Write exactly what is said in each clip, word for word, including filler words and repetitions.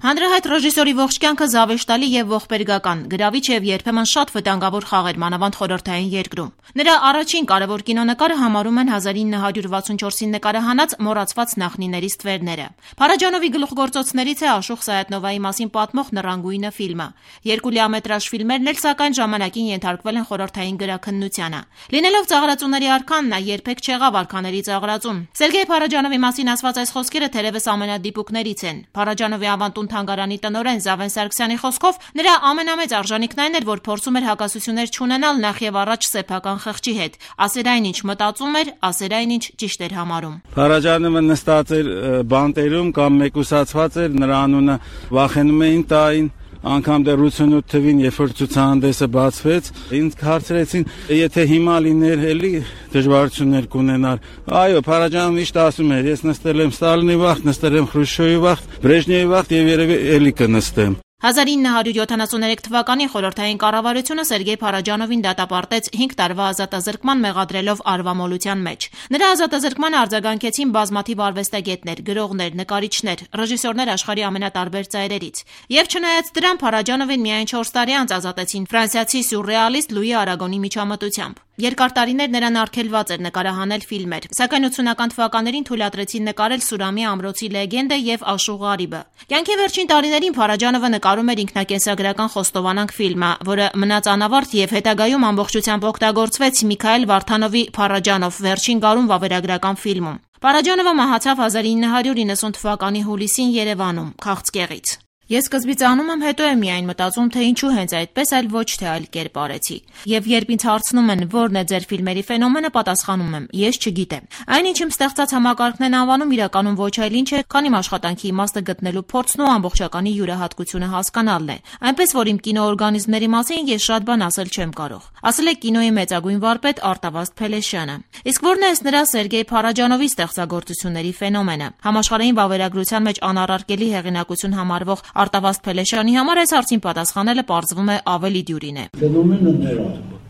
Հանրահայտ ռեժիսորի ողջ կյանքը զավեշտալի եւ ողբերգական, գրավիչ եւ երբեմն շատ վտանգավոր խաղեր մանավանդ խորհրդային երկրում։ Նրա առաջին կարևոր կինոնկարը համարում են հազար ինը հարյուր վաթսունչորսին նկարահանած մոռացված նախնիների ստվերները։ Փարաջանովի գլուխգործոցներից է Աշոտ Սայաթնովայի մասին պատմող Նռանգույնը ֆիլմը։ Երկու լիամետրաժ ֆիլմերն էլ սակայն ժամանակին ենթարկվել են խորհրդային գրաքննությանը։ Լինելով ծաղրածուների արքան, նա երբեք չեղավ արքաների ծաղրածուն։ Սերգեյ Փարաջանովի մասին ասված այս խոսքերը թերևս ամենադիպուկներից են։ Փարաջանովի ավանդուն թանգարանի տնօրեն Զավեն Սարգսյանի խոսքով նրա ամենամեծ արժանիքն այն էր, որ փորձում էր հակասություններ չունենալ նախ եւ առաջ սեփական խղճի հետ, ասեր այն ինչ մտածում էր, ասեր այն ինչ ճիշտ էր համարում։ Փարաջանովը նստած էր բանտերում կամ մեկուսացված էր, նրա անունը վախենում էին տային, անգամ դեռ ութսունութ թվին, երբ որ ցուցահանդեսը բացվեց, ինձ հարցրեցին, եթե հիմա լիներ էլի դժվարություններ կունենար։ Այո, Փարաջանովը միշտ ասում էր, ես նստել եմ Ստալինի վաղ, նստել եմ Խրուշչովի վաղ, Բրեժնևի վաղ եւ երևի էլի կնստեմ։ հազար ինը հարյուր յոթանասուններեք թվականին խորհրդային կառավարությունը Սերգեյ Փարաջանովին դատապարտեց հինգ տարվա ազատազրկման մեղադրելով արվամոլության մեջ։ Նրա ազատազրկմանը արձագանքեցին բազմաթիվ արվեստագետներ, գրողներ, նկարիչներ, ռեժիսորներ աշխարհի ամենատարբեր ծայրերից։ Եվ չնայած դրան Փարաջանովին միայն չորս տարի անց ազատեցին ֆրանսիացի սյուրռեալիստ Լուի Արագոնի միջամտությամբ։ Երկար տարիներ նրան արգելված էր նկարահանել ֆիլմեր, սակայն ութսունական թվականներին թույլատրեցին նկարել Սուրամի ամրոցի լեգենդը եւ Աշուղ Ղարիբը։ Կյանքի վերջին տարիներին Փարաջանովը նկարում էր ինքնակենսագրական Խոստովանանք ֆիլմը, որը մնաց անավարտ եւ հետագայում ամբողջությամբ օգտագործվեց Միքայել Վարդանովի Փարաջանով վերջին գարուն վավերագրական ֆիլմում։ Փարաջանովը մահացավ հազար ինը հարյուր իննսուն թվականի հուլիսին Երևանում, քաղցկեղից։ Ես սկզբից անում եմ, հետո եմ միայն մտածում, թե ինչու հենց այդպես, այլ ոչ թե այլ կերպ արեցի։ Եվ երբ ինձ հարցնում են, որն է ձեր ֆիլմերի ֆենոմենը, պատասխանում եմ՝ ես չգիտեմ։ Այն, ինչ իմ ստեղծած համակարգն են անվանում, իրականում ոչ այլ ինչ է, քան իմ աշխատանքի իմաստը գտնելու փորձն ու ամբողջականի յուրահատկությունը հասկանալն է։ Այնպես որ իմ կինոօրգանիզմների մասին ես շատ բան ասել չեմ կարող։ Ասել է կինոյի մեծագույն վարպետ Արտավազդ Փելեշյանը։ Իսկ որն է նրա Սերգեյ Փարաջանովի ստեղծագործությունների ֆենոմենը։ Համաշխարհային վավերագրության մեջ անառարկելի հեղինակություն համարվող Արտավազդ Փելեշյանի համար այս հարցին պատասխանելը պարզվում է ավելի դյուրին է։ Ֆենոմենը նրա,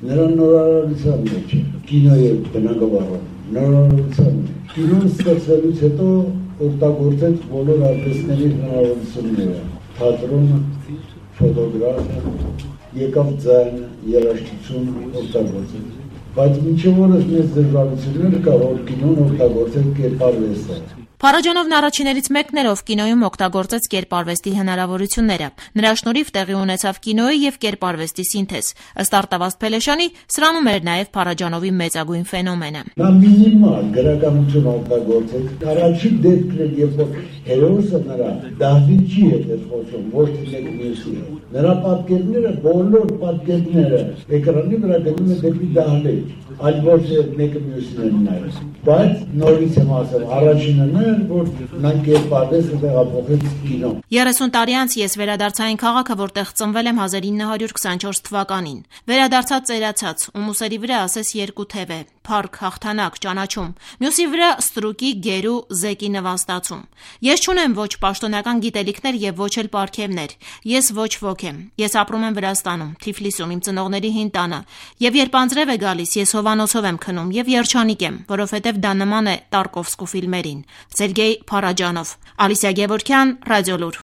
նրա նորարարության մեջ է, կինոյի բնագավառում, նորարարության մեջ։ Կինոն ստեղծելուց հետո օգտագործեց բոլոր արվեստների հնարավորությունները, թատրոնը, ֆոտոգրաֆիան, եկավ ձայնը, երաժշտությունը օգտագործեց։ Բայց մինչև օրս մեծ դժվարություններ կա, որ կինոն օգտագործել կերպարվեստը։ Փարաջանովն առաջիներից մեկն էր, ով կինոյում օգտագործեց կերպարվեստի հնարավորությունները։ Նրա շնորհիվ տեղի ունեցավ կինոյի եւ կերպարվեստի սինթեզ։ Ըստ Արտավազդ Փելեշյանի, սրանում էր նաեւ Փարաջանովի մեծագույն ֆենոմենը։ Նա մինիմալ գրականություն օգտագործեց։ Առաջին դեպքն էր, երբ որ հերոսը նրա դահլիճի հետ էր խոսում, ոչ թե մեկ մյուսի հետ։ Նրա պատկերները, բոլոր պատկերները էկրանի վրա գնում են դեպի դահլիճ, այլ ոչ թե մեկը մյուսին են նայում։ Բայց նորից եմ ասել, առաջինը նա էր, որ նա կերպարվեստը տեղափոխեց կինո։ երեսուն տարի անց ես վերադարձա այն քաղաքը, որտեղ ծնվել եմ հազար ինը հարյուր քսանչորս թվականին։ Վերադարձած ծերացած, ում ուսերի վրա ասես երկու թև է, փառք, հաղթանակ, ճանաչում, մյուսի վրա ստրուկի, գերու, զեկի նվաստացում։ Ես չունեմ ոչ պաշտոնական գիտելիքներ եւ ոչ էլ պարգևներ։ Ես ոչ ոք եմ։ Ես ապրում եմ Վրաստանում, Թիֆլիսում, իմ ծնողների հին տանը։ Եվ երբ անձրև է գալիս, ես հովանոցով եմ քնում եւ երջանիկ եմ, որովհետեւ դա նման է Տարկովսկու ֆիլմերին։ Սերգեյ Փարաջանով, Ալիսիա Գևորգյան, Ռադիոլուր։